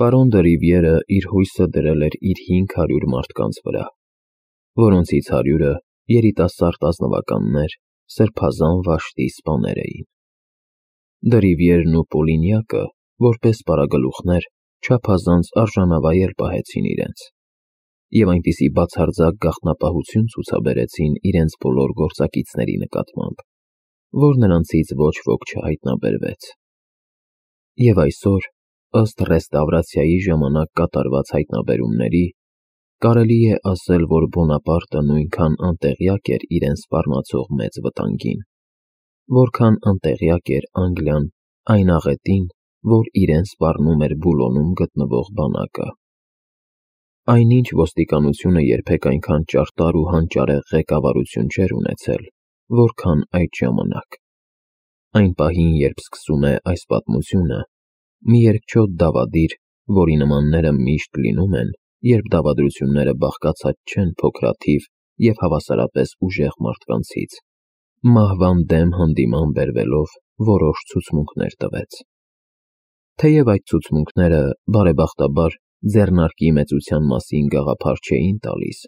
Պարոն դը Ռիվիերը իր հույսը դրել էր իր 500 մարդկանց վրա, որոնցից 100-ը երիտասարդ ազնվականներ, սրբազան վաշտի սպաներ էին։ Դը Ռիվիերն ու Պոլինյակը, որպես պարագլուխներ, չափազանց արժանավայել պահեցին իրենց, և այնպիսի բացարձակ գաղտնապահություն ցուցաբերեցին իրենց բոլոր գործակիցների նկատմամբ, որ նրանցից ոչ ոք չհայտնաբերվեց։ Եվ այսօր, ըստ ռեստավրացիայի ժամանակ կատարված հայտնաբերումների, կարելի է ասել, որ Բոնապարտը նույնքան անտեղյակ էր իրեն սպառնացող մեծ վտանգին, որքան անտեղյակ էր Անգլիան այն աղետին, որ իրեն սպառնում էր Բուլոնում գտնվող բանակը։ Այնինչ ոստիկանությունը երբեք այնքան ճարտար ու հանճարեղ ղեկավարություն չէր ունեցել, որքան այդ ժամանակ։ Այն պահին, երբ սկսում է այս պատմությունը, մի երկչոտ դավադիր, որի նմանները միշտ լինում են, երբ դավադրությունները բաղկացած չեն փոքրաթիվ և հավասարապես ուժեղ մարդկանցից, մահվան դեմ հանդիման բերվելով որոշ ցուցմունքներ տվեց։ Թեև այդ ցուցմունքները, բարեբախտաբար, ձեռնարկի մեծության մասին գաղափար չէին տալիս,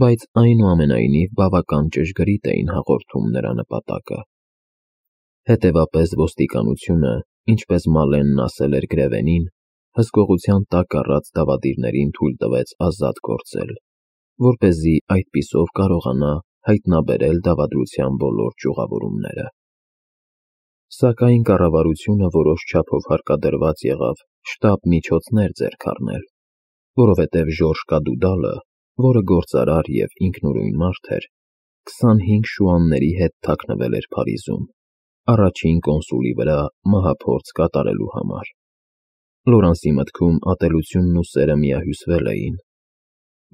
բայց այնուամենայնիվ բավական ճշգրիտ էին հաղորդում նրա նպատակը։ Հետևապես ոստիկանությունը, ինչպես Մալենն ասել էր Գրևենին, հսկողության տակ առած դավադիրներին թույլ տվեց ազատ գործել, որպեսզի այդպիսով կարողանա հայտնաբերել դավադրության բոլոր ճյուղավորումները։ Սակայն կառավարությունը որոշ չափով հարկադրված եղավ շտապ միջոցներ ձեռք առնել, որովհետև Ժորժ Կադուդալը, որը գործարար և ինքնուրույն մարդ էր, 25 շուանների հետ թաքնվել էր Փարիզում, առաջին կոնսուլի վրա մահափորձ կատարելու համար։ Լորանսի մտքում ատելությունն ու սերը միահյուսվել էին։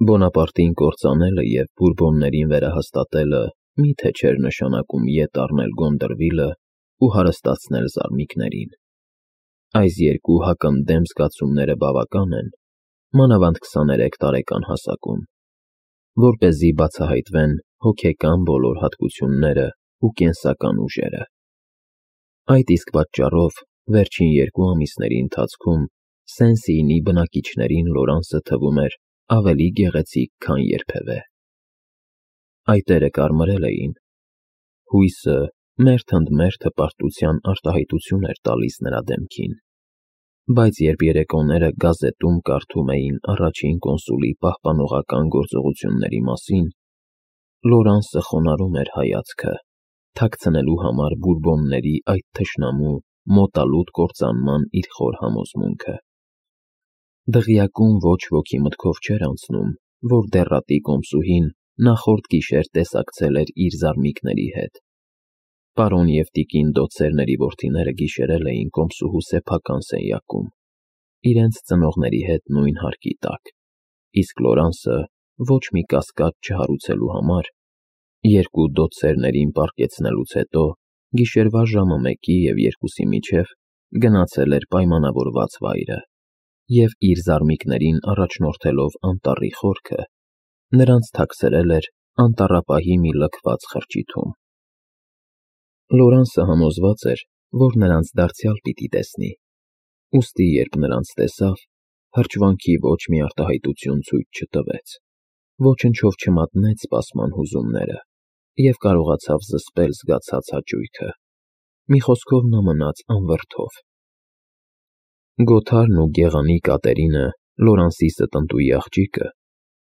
Բոնապարտին կործանելը և Բուրբոններին վերահաստատելը մի՞թե չէր նշանակում ետ առնել Գոնդրվիլը ու հարստացնել զարմիկներին։ Այս երկու հակընդդեմ զգացումները բավական են, մանավանդ 23 տարեկան հասակում, որպեսզի բացահայտվեն հոգեկան բոլոր հատկությունները ու կենսական ուժերը։ Այդ իսկ պատճառով վերջին 2 ամիսների ընթացքում Սեն-Սիինի բնակիչներին Լորանսը թվում էր ավելի գեղեցիկ, քան երբևէ։ Այտերը կարմրել էին։ Հույսը մերթ ընդ մերթ հպարտության արտահայտություն էր տալիս նրա դեմքին, բայց երբ երեկոները գազետում կարդում էին առաջին կոնսուլի պահպանողական գործողությունների մասին, Լորանսը խոնարհում էր հայացքը, թաքցնելու համար Բուրբոնների այդ թշնամու մոտալուտ կործանման իր խոր համոզմունքը։ Դղյակում ոչ ոքի մտքով չէր անցնում, որ դեռատի կոմսուհին նախորդ գիշեր տեսակցել էր իր զարմիկների հետ։ Պարոն և տիկին Դոցերների որդիները գիշերել էին կոմսուհու սեփական սենյակում, իրենց ծնողների հետ նույն հարկի տակ, իսկ Լորանսը, ոչ մի կասկած չհարուցելու համար, 2 Դոցերներին պառկեցնելուց հետո, գիշերվա ժամը 1-ի և 2-ի միջև գնացել էր պայմանավորված վայրը և իր զարմիկներին առաջնորդելով անտառի խորքը, նրանց թաքցրել էր անտառապահի մի լքված խրճիթում։ Լորանսը համոզված էր, որ նրանց դարձյալ պիտի տեսնի, ուստի երբ նրանց տեսավ, հրճվանքի ոչ մի արտահայտություն ցույց չտվեց, ոչնչով չմատնեց սպասման հուզումները և կարողացավ զսպել զգացած հաճույքը։ Մի խոսքով նա մնաց անվրդով։ Գոթարն ու գեղանի Կատերինը, Լորանսի ստնտուի աղջիկը,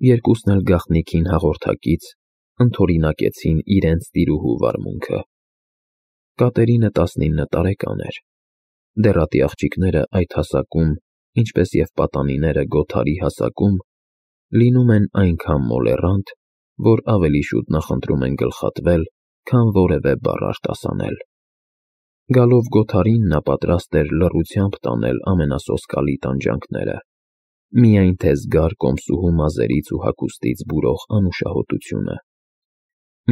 երկուսն էլ գաղտնիքին հաղորդակից, ընդօրինակեցին իրենց տիրուհու վարմունքը։ Կատերինը 19 տարեկան էր։ Դեռատի աղջիկները այդ հասակում, ինչպես և պատանիները Գոթարի հասակում, լինում են այնքան մոլեռանդ, որ ավելի շուտ նախընտրում են գլխատվել, քան որևէ բառ արտասանել։ Գալով Գոթարին նա պատրաստ էր լռությամբ տանել ամենասոսկալի տանջանքները, միայն թե զգար կոմսուհու մազերից ու հագուստից բուրող անուշահոտությունը։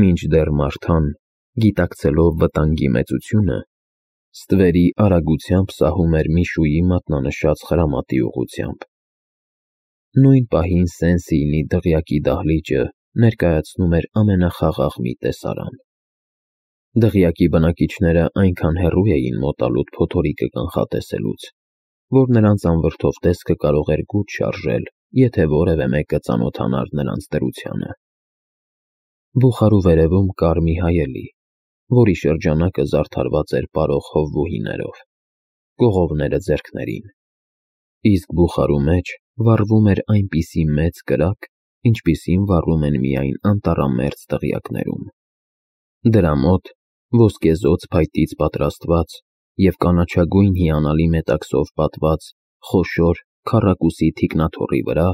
Մինչդեռ Մարթան, գիտակցելով վտանգի մեծությունը, ստվերի արագությամբ սահում էր Միշուի մատնանշած խրամատի ուղղությամբ։ Նույն պահին Սեն-Սիինի դղյակի դահլիճը ներկայացնում էր ամենախաղաղ մի տեսարան։ Դղյակի բնակիչները այնքան հեռու էին մոտալուտ փոթորիկը կանխատեսելուց, որ նրանց անվրդով տեսքը կարող էր գութ շարժել, եթե որևէ մեկը ծանոթանար նրանց դրությանը։ Բուխարու վերևում կար մի հայելի, որի շրջանակը զարդարված էր պարող հովվուհիներով, կողովները ձեռքներին, իսկ բուխարու մեջ վառվում էր այնպիսի մեծ կրակ, ինչպիսին վառում են միայն անտառամերձ դղյակներում։ Դրա մոտ, ոսկեզօծ փայտից պատրաստված և կանաչագույն հիանալի մետաքսով պատված խոշոր քառակուսի թիկնաթոռի վրա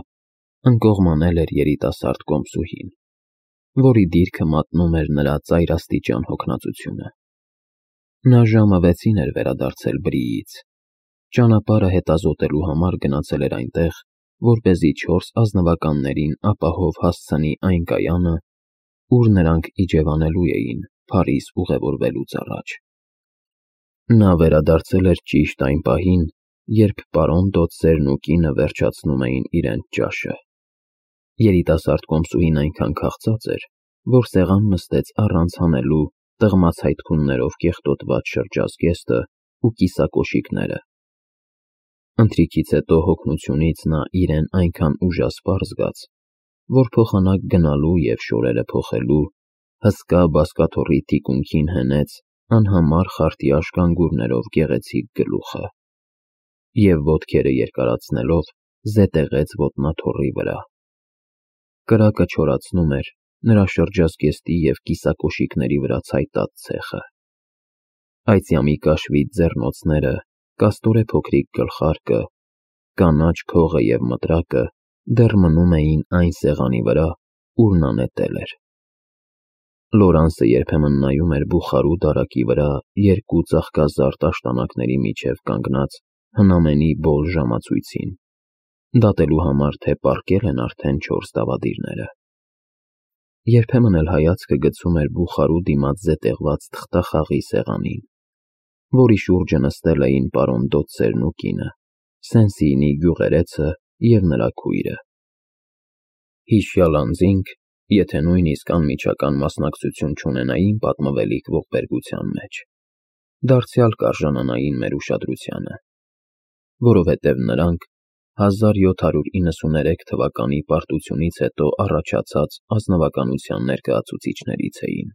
ընկողմանել էր երիտասարդ կոմսուհին, որի դիրքը մատնում էր նրա ծայրաստիճան հոգնածությունը։ Նա ժամը 6-ին էր վերադարձել Բրիից, ճանապարհը հետազոտելու համար գնացել էր այնտեղ, որպեսզի 4 ազնվականներին ապահով հասցնի այն կայանը, ուր նրանք իջևանելու էին Փարիզ ուղևորվելուց առաջ։ Նա վերադարձել էր ճիշտ այն պահին, երբ պարոն Դոցերն ու կինը վերջացնում էին իրենց ճաշը։ Երիտասարդ կոմսուհին այնքան քաղցած էր, որ սեղան նստեց առանց հանելու տղմացայթքուններով կեղտոտված շրջազգեստը ու կիսակոշիկները։ Ընթրիքից հետո հոգնությունից նա իրեն այնքան ուժասպառ զգաց, որ փոխանակ գնալու և շորերը փոխելու հսկա բազկաթոռի թիկունքին հենեց անհամար խարտյաշ գանգուրներով գեղեցիկ գլուխը և ոտքերը երկարացնելով զետեղեց ոտնաթոռի վրա։ Կրակը չորացնում էր նրա շրջազգեստի և կիսակոշիկների վրա ցայտած ցեխը։ Այծյամի կաշվիտ ձեռնոցները, կաստորե փոքրիկ գլխարկը, կանաչ քողը և մտրակը դեռ մնում էին այն սեղանի վրա, ուր նա նետել էր։ Լորանսը երբեմն նայում էր բուխարու դարակի վրա երկու ծաղկազարդ աշտանակների միջև կանգնած հնամենի բոլ ժամացույցին, դատելու համար, թե պառկել են արդեն 4 դավադիրները։ Երբեմն էլ հայացքը գցում էր բուխարու դիմաց զետեղված թղթախաղի սեղանին, որի շուրջը նստել էին պարոն Դոցերն ու կինը, Սեն-Սիինի գյուղերեցը և նրա քույրը։ Հիշյալ անձինք, եթե նույնիսկ անմիջական մասնակցություն չունենային պատմվելիք ողբերգության մեջ, դարձյալ կարժանանային մեր ուշադրությանը, որովհետև նրանք 1793 թվականի պարտությունից հետո առաջացած ազնվականության ներկայացուցիչներից էին։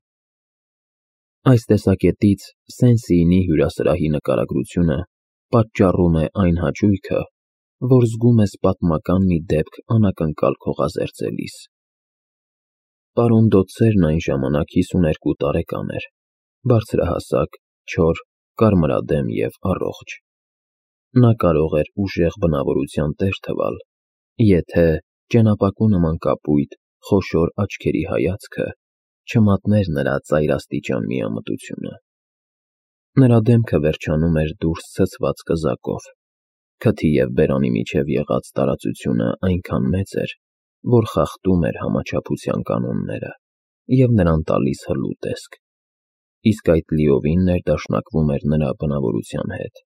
Այս տեսակետից Սեն-Սիինի հյուրասրահի նկարագրությունը պատճառում է այն հաճույքը, որ զգում ես պատմական մի դեպք անակնկալ քողազերծելիս։ Պարոն Դոցերն այն ժամանակ 52 տարեկան էր, բարձրահասակ, չոր, կարմրադեմ և առողջ։ Նա կարող էր ուժեղ բնավորության տեր թվալ, եթե ճենապակու նման կապույտ, խոշոր աչքերի հայացքը չմատներ նրա ծայրաստիճան միամտությունը։ Նրա դեմքը վերջանում էր դուրս ցցված կզակով, քթի և բերանի միջև եղած տարածությունը այնքան մեծ էր, որ խախտում էր համաչափության կանոնները և նրան տալիս հլու տեսք, իսկ այդ լիովին ներդաշնակվում էր նրա բնավորության հետ,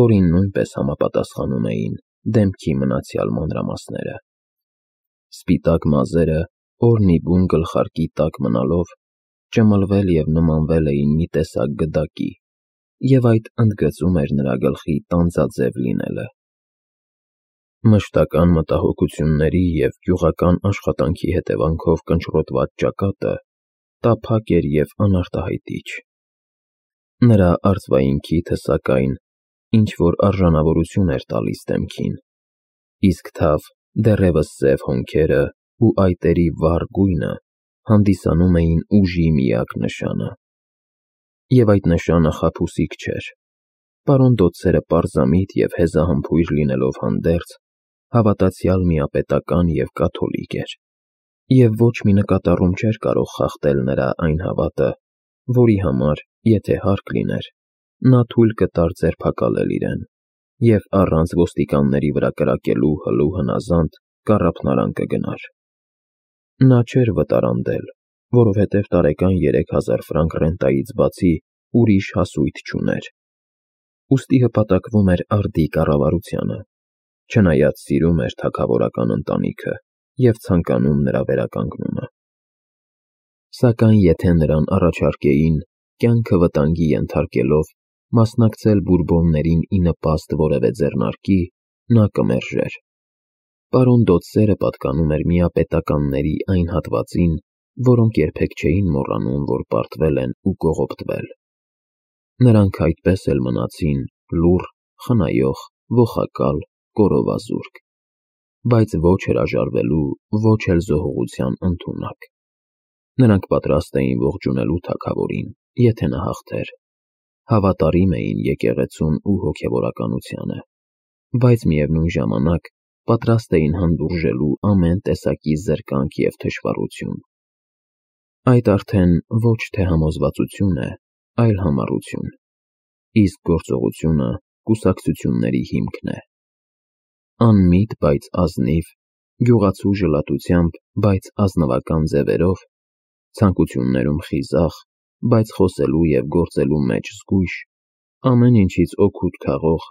որին նույնպես համապատասխանում էին դեմքի մնացյալ մանրամասները։ Սպիտակ մազերը, օրհնիբուն գլխարկի տակ մնալով, ճմլվել և նմանվել էին մի տեսակ գդակի, և այդ ընդգծում էր նրա գլխի տանձաձև լինելը։ Մշտական մտահոգությունների և գյուղական աշխատանքի հետևանքով կնճռոտված ճակատը տափակ էր և անարտահայտիչ։ Նրա արծվային քիթը, սակայն, ինչ-որ արժանավորություն էր տալիս դեմքին, իսկ թավ, դեռևս սև հոնքերը ու այտերի վառ գույնը հանդիսանում էին ուժի միակ նշանը։ Եվ այդ նշանը խաբուսիկ չէր։ Պարոն Դոցերը պարզամիտ և հեզահամբույր լինելով հանդերձ, հավատացյալ միապետական և կաթոլիկ էր, և ոչ մի նկատառում չէր կարող խախտել նրա այն հավատը, որի համար, եթե հարկ լիներ, նա թույլ կտար ձերբակալել իրեն և առանց ոստիկանների վրա կրակելու հլու հնազանդ կառափնարան կգնար։ Նա չէր վտարանդել, որովհետև տարեկան 3000 ֆրանկ ռենտայից բացի ուրիշ հասույթ չուներ, ուստի հպատակվում էր արդի կառավարությանը, չնայած սիրում էր թագավորական ընտանիքը և ցանկանում նրա վերականգնումը։ Սակայն եթե նրան առաջարկեին, կյանքը վտանգի ենթարկելով, մասնակցել բուրբոններին ի նպաստ որևէ ձեռնարկի, նա կմերժեր։ Պարոն Դոդսերը պատկանում էր միապետականների այն հատվածին, որոնք երբեք չէին մոռանում, որ պարտվել են ու կողոպտվել։ Նրանք այդպես էլ մնացին լուռ, խնայող, ոխակալ, կորովազուրկ, բայց ոչ հրաժարվելու, ոչ էլ զոհողության ընդունակ։ Նրանք պատրաստ էին ողջունելու թագավորին, եթե նա հաղթեր, հավատարիմ էին եկեղեցուն ու հոգևորականությանը, բայց միևնույն ժամանակ պատրաստ էին հանդուրժելու ամեն տեսակի զրկանք և թշվառություն։ Այդ արդեն ոչ թե համոզվածություն է, այլ համառություն, իսկ գործողությունը կուսակցությունների հիմքն է։ Անմիտ, բայց ազնիվ, գյուղացու ժլատությամբ, բայց ազնվական ձևերով, ցանկություններում խիզախ, բայց խոսելու և գործելու մեջ զգույշ, ամեն ինչից օգուտ քաղող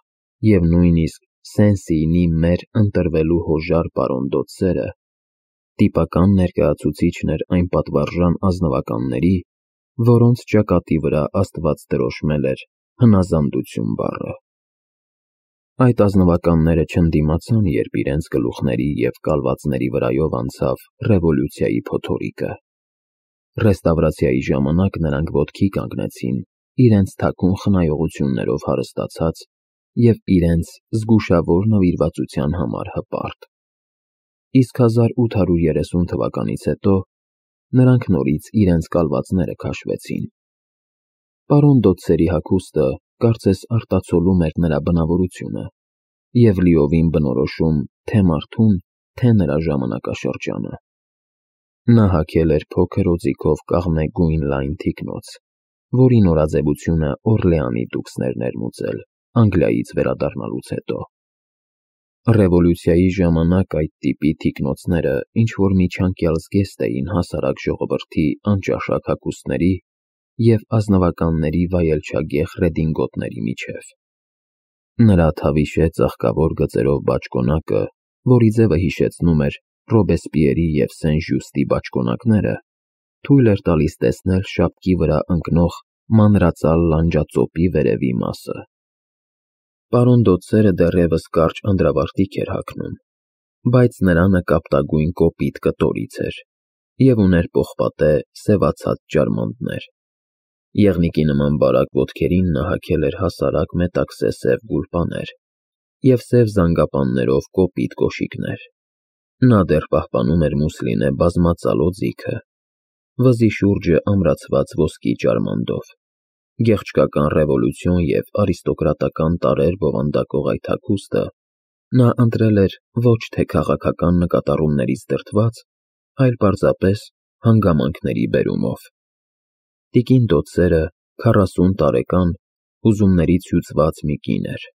և նույնիսկ Սեն-Սիինի մեր ընտրվելու հոժար պարոն Դոդսերը տիպական ներկայացուցիչն էր այն պատվարժան ազնվականների, որոնց ճակատի վրա Աստված դրոշմել էր հնազանդություն բառը։ Այդ ազնվականները չընդդիմացան, երբ իրենց գլուխների և կալվածների վրայով անցավ ռևոլյուցիայի փոթորիկը։ Ռեստավրացիայի ժամանակ նրանք ոտքի կանգնեցին, իրենց թաքուն խնայողություններով հարստացած և իրենց զգուշավոր նվիրվածության համար հպարտ։ Իսկ 1830 թվականից հետո նրանք նորից իրենց կալվածները քաշվեցին։ Պարոն Դոդսերի հագուստը կարծես արտացոլում էր նրա բնավորությունը և լիովին բնորոշում թե մարդուն, թե նրա ժամանակաշրջանը։ Նա հագել էր փոքր օձիքով կաղնե գույն լայն թիկնոց, որի նորաձևությունը Օրլեանի դուքսն էր ներմուծել Անգլիայից վերադառնալուց հետո։ Ռևոլյուցիայի ժամանակ այդ տիպի թիկնոցները ինչ-որ միջանկյալ զգեստ էին հասարակ ժողովրդի անճաշակ հագուստների և ազնվականների վայելչագեղ ռեդինգոտների միջև։ Նրա թավիշե ծաղկավոր գծերով բաճկոնակը, որի ձևը հիշեցնում էր Ռոբեսպիերի և Սեն-Ժյուստի բաճկոնակները, թույլ էր տալիս տեսնել շապկի վրա ընկնող մանրածալ լանջածոպի վերևի մասը։ Պարոն Դոդսերը դեռևս կարճ անդրավարտիք էր հագնում, բայց նրա նկապտագույն կոպիտ կտորից էր և ուներ պողպատե սևացած ջարմանդներ։ Եղնիկի նման բարակ ոտքերին նա հագել էր հասարակ մետաքսե սև գուլպաներ և սև զանգապաններով կոպիտ կոշիկներ։ Նա դեռ պահպանում էր մուսլինե բազմածալ օձիքը, վզի շուրջը ամրացված ոսկի ջարմանդով։ Գեղչկական ռևոլյուցիոն և արիստոկրատական տարրեր բովանդակող այդ հագուստը նա ընտրել էր ոչ թե քաղաքական նկատառումներից դրդված, այլ պարզապես հանգամանքների բերումով։ Տիկին Դոդսերը 40 տարեկան, հուզումներից հյուծված մի կին էր։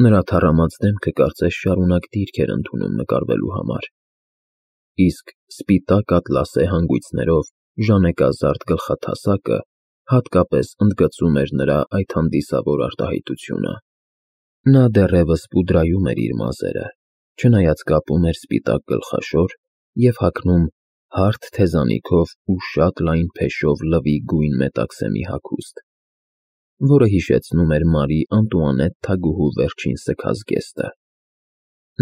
Նրա թառամած դեմքը կարծես շարունակ դիրք էր ընդունում նկարվելու համար, իսկ սպիտակ ատլասե հանգույցներով ժանեկազարդ գլխաթասակը հատկապես ընդգծում էր նրա այդ հանդիսավոր արտահայտությունը։ Նա դեռևս պուդրայում էր իր մազերը, չնայած կապում էր սպիտակ գլխաշոր և հագնում հարթ թեզանիքով ու շատ լայն փեշով լվի գույն մետաքսե մի հագուստ, որը հիշեցնում էր Մարի Անտուանետ թագուհու վերջին սգազգեստը։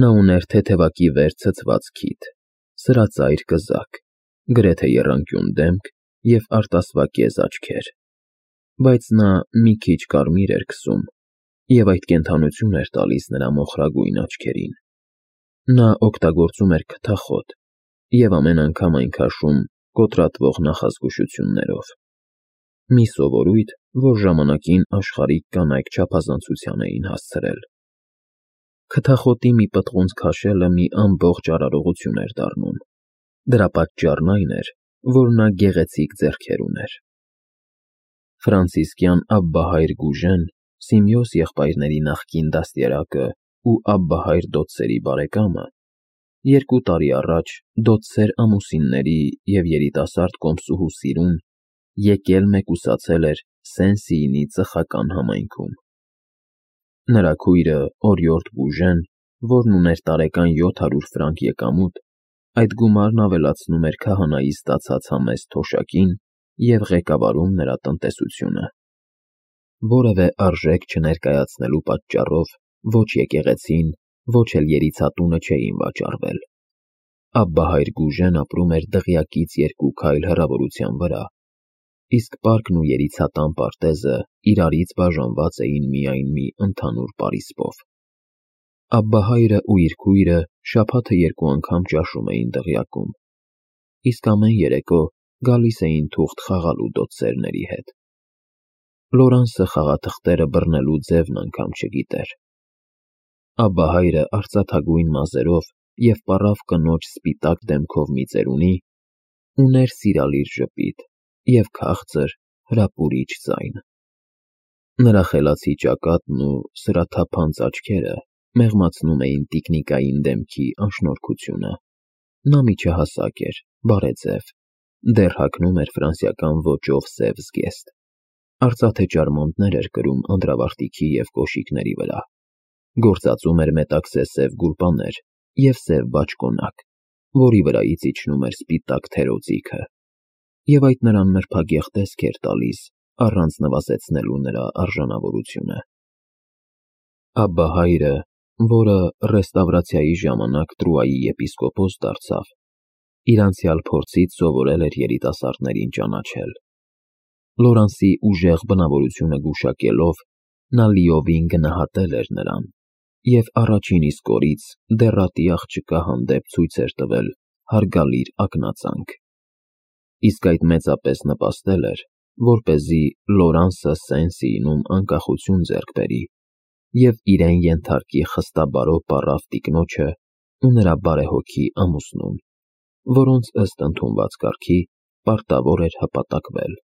Նա ուներ թեթևակի վեր ցցված քիթ, սրածայր կզակ, գրեթե եռանկյուն դեմք և արտասվակեզ աչքեր, բայց նա մի քիչ կարմիր էր քսում և այդ կենդանություն էր տալիս նրա մոխրագույն աչքերին։ Նա օգտագործում էր քթախոտ և ամեն անգամ այն քաշում կոտրատվող նախազգուշություններով։ Մի սովորույթ, որ ժամանակին աշխարհիկ կանայք չափազանցության էին հասցրել։ Քթախոտի մի պտղունց քաշելը մի ամբողջ արարողություն էր դառնում։ Դրա պատճառն այն էր, որ նա գեղեցիկ ձեռքեր ուներ։ Ֆրանցիսկյան Աբբահայր Գուժեն, Սիմեոս եղբայրների նախկին դաստիարակը ու Աբբահայր Դոդսերի բարեկամը, 2 տարի առաջ Դոդսեր ամուսինների և երիտասարդ կոմսուհու սիրուն եկել մեկուսացել էր Սեն-Սիինի ծխական համայնքում։ Նրա քույրը Օրիորդ Բուժեն, որն ուներ տարեկան 700 ֆրանկ եկամուտ, այդ գումարն ավելացնում էր քահանայի ստացած համեստ թոշակին և ղեկավարում նրա տնտեսությունը։ որևէ արժեք չներկայացնելու պատճառով ոչ եկեղեցին, ոչ էլ երիցատունը չէին վաճառվել։ Աբբահայր Գուժեն ապրում էր դղյակից 2 քայլ հեռավորության վրա, իսկ պարկն ու երիցատան պարտեզը իրարից բաժանված էին միայն մի ընդհանուր պարիսպով։ Աբբահայրը ու իր քույրը շաբաթը 2 անգամ ճաշում էին դղյակում, իսկ ամեն երեկո գալիս էին թուղթ խաղալու դոցերների հետ։ Լորանսը խաղաթղթերը բռնելու ձևն անգամ չգիտեր։ Աբբահայրը արծաթագույն մազերով և պառավ կնոջ սպիտակ դեմքով մի ծերունի, ուներ սիրալիր ժպիտ և քաղցր, հրապուրիչ ձայն։ Նրա խելացի ճակատն ու սրաթափանց աչքերը մեղմացնում էին տիկնիկային դեմքի անշնորհքությունը։ Նա միջահասակ էր, բարեձև, դեռ հագնում էր ֆրանսիական ոճով սև զգեստ։ Արծաթե ճարմանտներ էր կրում անդրավարտիքի և կոշիկների վրա, գործածում էր մետաքսե սև գուլպաներ և սև բաճկոնակ, որի վրայից իջնում էր սպիտակ թերօծիքը, և այդ նրան նրբագեղ տեսք էր տալիս, առանց նվազեցնելու նրա արժանավորությունը։ Աբբահայրը, որը ռեստավրացիայի ժամանակ Տրուայի եպիսկոպոս դարձավ, իր անցյալ փորձից սովորել էր երիտասարդներին ճանաչել։ Լորանսի ուժեղ բնավորությունը գուշակելով, նա լիովին գնահատել էր նրան և առաջին իսկ օրից դեռատի աղջկա հանդեպ ցույց էր տվել հարգալիր ակնածանք։ Իսկ այդ մեծապես նպաստել էր, որպեսզի Լորանսը Սեն-Սիինում անկախություն ձեռք բերի և իրեն ենթարկի խստաբարո պառավ տիկնոջը ու նրա բարեհոգի ամուսնուն, որոնց ըստ ընդունված կարգի պարտավոր էր հպատակվել։